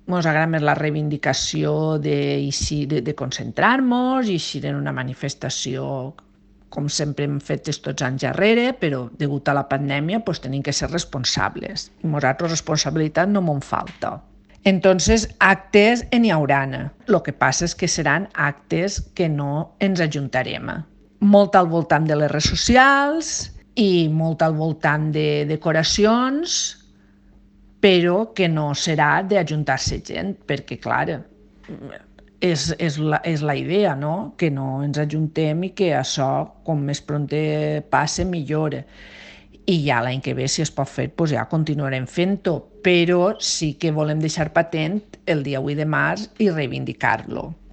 Ens agrada més la reivindicació de concentrar-nos i eixir en una manifestació com sempre hem fet tots anys darrere, però degut a la pandèmia pues, tenim que ser responsables. I nosaltres responsabilitat no m'en falta. Entonces, actes n'hi hauran. El que passa és que seran actes que no ens ajuntarem. Molt al voltant de les redes socials i molt al voltant de decoracions, però que no serà d'ajuntar-se gent, perquè, clar, és la idea, no? Que no ens ajuntem i que això, com més prompte passe, millor. I ja l'any que ve, si es pot fer, doncs ja continuarem fent-ho, però sí que volem deixar patent el dia 8 de març i reivindicar-lo.